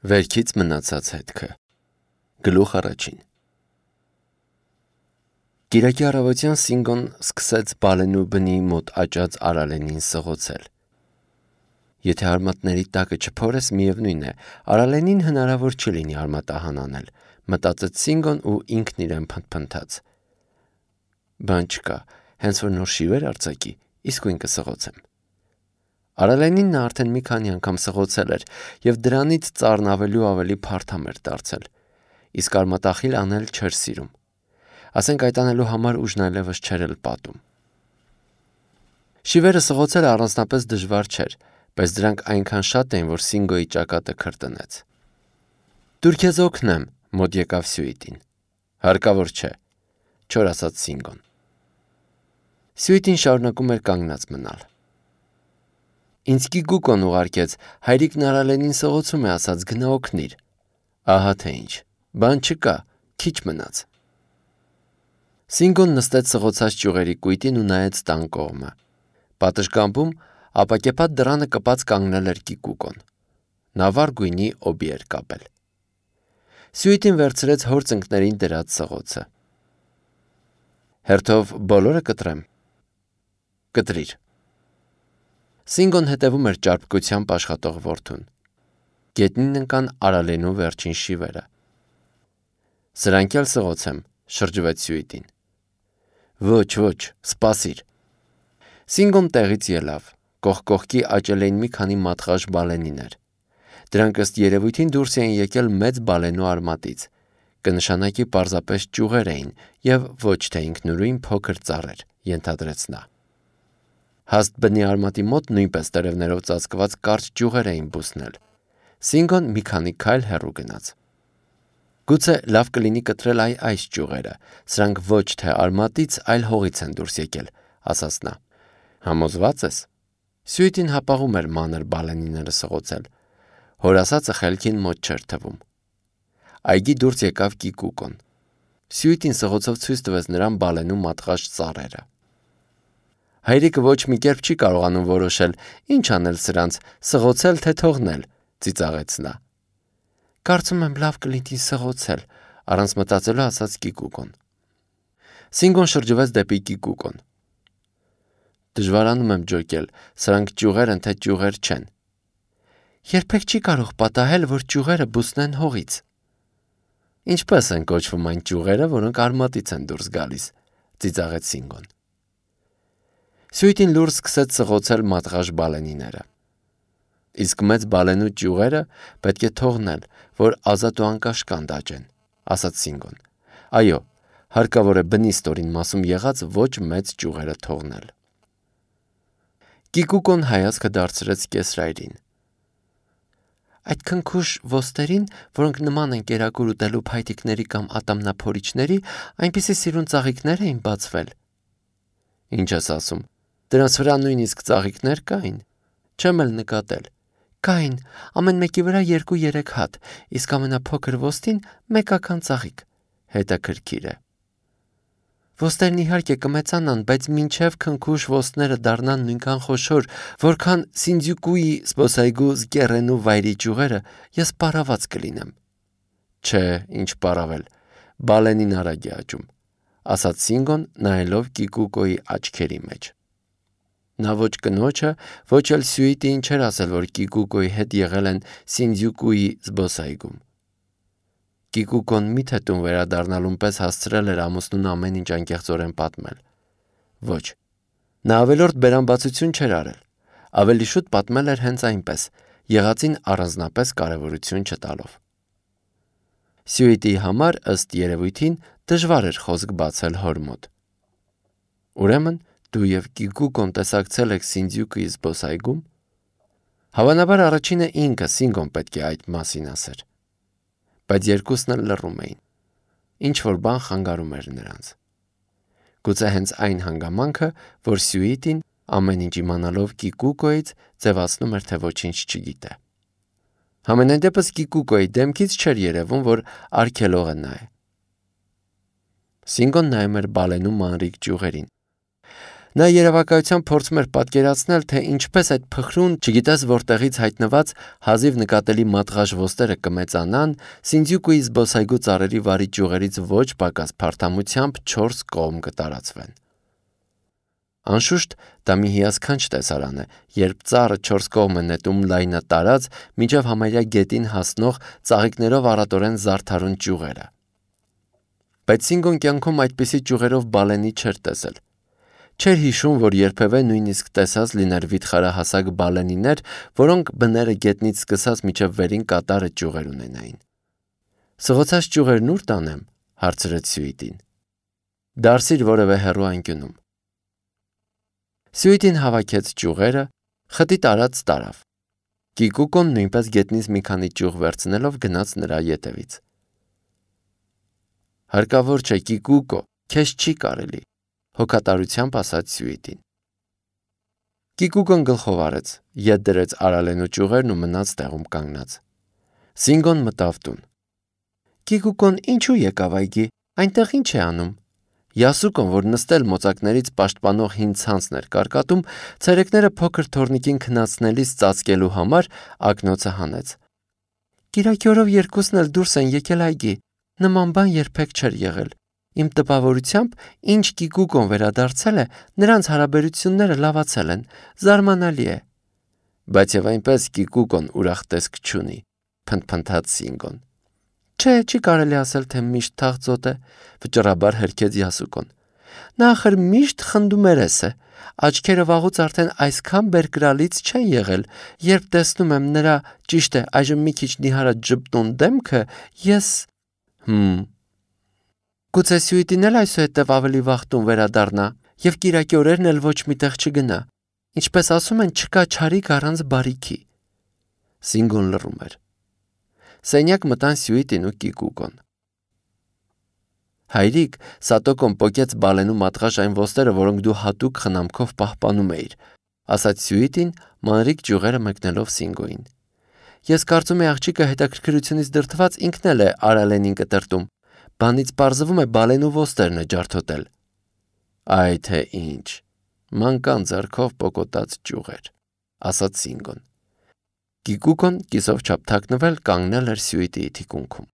Վերքից մնացած հետքը։ Գլուխ առաջին։ Կիրակի առավոտյան Սինգոն սկսեց Բալենու բնի մոտ աճած Արալենին սղոցել։ Եթե արմատների տակը չփորես, միևնույն է, Արալենին հնարավոր չի լինի արմատահան անել, մտածեց Սինգոն ու ինքն իրեն փնթփնթաց։ Բան չկա, հենց որ նոր շիվեր արձակի, իսկույն կսղոցեմ։ Արալենին նա արդեն մի քանի անգամ սղոցել էր և դրանից ծառն ավելի փարթամ էր դարձել, իսկ արմատախիլ անել չէր սիրում։ Ասենք այդ անելու համար ուժն այլևս չէր էլ պատում։ Շիվերը սղոցելը առանձնապես դժվար չէր, բայց դրանք այնքան շատ էին, որ Սինգոյի ճակատը քրտնեց։ «Դուր քեզ օգնեմ», մոտ եկավ Սյուիտին։ «Հարկավոր չէ», չոր ասաց Սինգոն։ Սյուիտին շարունակում էր կանգնած մնալ։ «Ինձ Կիկուկոն ուղարկեց, հայրիկն Արալենին սղոցում է ասաց, գնա օգնիր»։ Ահա թե ինչ, բան չկա, քիչ մնաց։ Սինգոն նստեց սղոցած ճյուղերի կույտին ու նայեց տան կողմը։ Պատշգամբում ապակեպատ դռանը կպած կանգնել էր Կիկուկոն։ Նա վառ գույնի օբի էր կապել։ Սյուիտին վերցրեց հոր ծնկներին դրած սղոցը։ «Հերթով բոլորը կտրեմ»։ «Կտրիր»։ Սինգոն հետևում էր ճարպկությամբ աշխատող որդուն։ Գետնին ընկան Արալենու վերջին շիվերը։ «Սրանք էլ սղոցեմ», շրջվեց Սյուիտին։ «Ոչ, սպասիր»։ Սինգոն տեղից ելավ։ Կողք կողքի աճել էին մի քանի մատղաշ բալենիներ։ Դրանք ըստ երևույթին դուրս էին եկել մեծ բալենու արմատից։ Կնշանակի պարզապես ճյուղեր էին և ոչ թե ինքնուրույն փոքր ծառեր, ենթադրեց նա։ Հաստ բնի արմատի մոտ նույնպես տերևներով ծածկված կարճ ճյուղեր էին բուսնել։ Սինգոն մի քանի քայլ հեռու գնաց։ «Գուցե լավ կլինի կտրել այս ճյուղերը, սրանք ոչ թե արմատից, այլ հողից են դուրս եկել», ասաց նա։ «Համոզվա՞ծ ես»։ Սյուիտին հապաղում էր մանր բալենիները սղոցել։ Հոր ասածը խելքին մոտ չէր թվում։ Այգի դուրս եկավ Կիկուկոն։ Սյուիտին սղոցով ցույց տվեց նրան բալենու մատղաշ ծառերը։ «Հայրիկը ոչ մի կերպ չի կարողանում որոշել, ինչ անել սրանց, սղոցել թե թողնել», ծիծաղեց նա։ «Կարծում եմ լավ կլինի սղոցել», առանց մտածելու ասաց Կիկուկոն։ Սինգոն շրջվեց դեպի Կիկուկոն։ «Դժվարանում եմ ջոկել, սրանք ճյուղեր են թե ճյուղեր չեն»։ «Երբեք չի կարող պատահել, որ ճյուղերը բուսնեն հողից»։ «Ինչպես են կոչվում այն ճյուղերը, որոնք արմատից են դուրս գալիս», ծիծաղեց Սինգոն։ Սյուիտին լուռ սկսեց սղոցել մատղաշ բալենիները։ «Իսկ մեծ բալենու ճյուղերը պետք է թողնել, որ ազատ ու անկաշկանդ աճեն», ասաց Սինգոն։ «Այո, հարկավոր է բնի ստորին մասում եղած ոչ մեծ ճյուղերը թողնել»։ Կիկուկոն հայացքը դարձրեց կեսրայրին։ «Այդ քնքուշ ոստերին, որոնք նման են կերակուր ուտելու փայտիկների կամ ատամնափորիչների, այնպիսի սիրուն ծաղիկներ էին բացվել»։ «Ինչ ես ասում, դրանց վրա նույնիսկ ծաղիկներ կային»։ «Չեմ էլ նկատել»։ «Կային, ամեն մեկի վրա 2-3 հատ, իսկ ամենափոքր ոստին մեկական ծաղիկ»։ «Հետաքրքիր է»։ «Ոստերն իհարկե կմեծանան, բայց մինչև քնքուշ ոստները դառնան նույնքան խոշոր, որքան Սինդզյուկուի զբոսայգու Զկեռենու վայրի ճյուղերը, ես պարաված կլինեմ»։ «Չէ, ինչ պարավել, բալենին արագ է աճում», ասաց Սինգոն, նայելով Կիկուկոյի աչքերի մեջ։ Նա ոչ կնոջը, ոչ էլ Սյուիտիին չէր ասել, որ Կիկուկոյի հետ եղել են Սինդզյուկուի զբոսայգում։ Կիկուկոն միթե տուն վերադառնալուն պես հասցրել էր ամուսնուն ամեն ինչ անկեղծորեն պատմել։ Ոչ, նա ավելորդ բերանբացություն չէր արել, ավելի շուտ պատմել էր հենց այնպես, եղածին առանձնապես կարևորություն չտալով։ Սյուիտիի համար, ըստ երևույթին, դժվար էր խոսք բացել հոր մոտ։ «Ուրեմն դու և Կիկուկոն տեսակցել եք Սինդզյուկուի զբոսայգում»։ Հավանաբար առաջինը ինքը Սինգոն պետք է այդ մասին ասեր։ Բայց երկուսն էլ լռում էին։ Ինչ-որ բան խանգարում էր նրանց։ Գուցե հենց այն հանգամանքը, որ Սյուիտին, ամեն ինչ իմանալով Կիկուկոյից, ձևացնում էր, թե ոչինչ չգիտե։ Համենայն դեպս Կիկուկոյի դեմքից չէր երևում, որ արգելողը նա է։ Սինգոն նայում էր բալենու մանրիկ ճյուղերին։ Նա երևակայությամբ փորձում էր պատկերացնել, թե ինչպես այդ փխրուն, չգիտես որտեղից հայտնված հազիվ նկատելի մատղաշ ոսტերը կմեծանան, Սինդզյուկուի զբոսայգու ծառերի վարի ճյուղերից ոչ պակաս փարթամությամբ 4 կողմ կտարածվեն։ Անշուշտ դա մի հիասքանչ տեսարան է, երբ ծառը 4 կողմ է նետում լայնատարած, մինչև համարյա գետին հասնող ծաղիկներով առատորեն զարդարուն ճյուղերը։ Բայց Սինգոն կյանքում այդպիսի ճյուղերով բալենի չէր տեսել։ Չէր հիշում, որ երբևէ նույնիսկ տեսած լիներ վիթխարահասակ բալենիներ, որոնք բները գետնից սկսած մինչև վերին կատարը ճյուղեր ունենային։ Սղոցած ճյուղերն ուր տանեմ, հարցրեց Սյուիտին։ Դարսիր որևէ հեռու անկյունում։ Սյուիտին հավաքեց ճյուղերը, խտի տարած տարավ։ Կիկուկոն նույնպես գետնից մի քանի ճյուղ վերցնելով գնաց նրա ետևից։ Հարկավոր չէ, Կիկուկո, քեզ չի կարելի, հոգատարությամբ ասաց Սյուիտին։ Կիկուկոն գլխով արեց, ետ դրեց արալենու ճյուղերն ու մնաց տեղում կանգնած։ Սինգոն մտավ տուն։ Կիկուկոն ինչու եկավ այգի, այնտեղ ինչ է անում։ Յասուկոն, որ նստել մոծակներից պաշտպանող հին ցանցն էր կարկատում, ցերեկները փոքր թորնիկին քնացնելիս ծածկելու համար ակնոցը հանեց։ Կիրակի օրով երկուսն էլ դուրս են եկել այգի, նման բան երբեք չէր եղել։ Իմ տպավորությամբ, ինչ Կիկուկոն վերադարձել է, նրանց հարաբերությունները լավացել են, զարմանալի է։ Բայց եւ այնպես Կիկուկոն ուրախ տեսք չունի, փնթփնթաց Սինգոն։ Չէ, չի կարելի ասել, թե միշտ թաղծոտ է, վճռաբար հրքեց Յասուկոն։ Նա ախր միշտ խնդումերես է, աչքերը վաղուց արդեն այսքան բերկրալից չեն եղել, երբ տեսնում եմ նրա, ճիշտ է, այժմ մի քիչ նիհարած ժպտուն դեմքը, ես… Գուցե Սյուիտին էլ այսուհետև ավելի վաղ տուն վերադառնա եւ կիրակի օրերն էլ ոչ միտեղ չգնա։ Ինչպես ասում են, չկա չարիք առանց բարիքի։ Սինգոն լռում էր։ Սենյակ մտան Սյուիտին ու Կիկուկոն։ Հայրիկ, Սատոկոն պոկեց բալենու մատղաշ այն ոստերը, որոնք դու հատուկ խնամքով պահպանում էիր, ասաց Սյուիտին, մանրիկ ճյուղերը մեկնելով Սինգոին։ Ես կարծում եմ աղջիկը հետաքրքրությունից դրդված ինքն էլ է արալենին կտրտում։ Բանից պարզվում է բալենու ոստերն է ջարդոտել։ Այ թե ինչ, մանկան ձեռքով պոկոտած ճյուղեր, ասաց Սինգոն։ Կիկուկոն կիսով չափ թաքնվել կանգնել էր Սյուիտիի թիկունքում։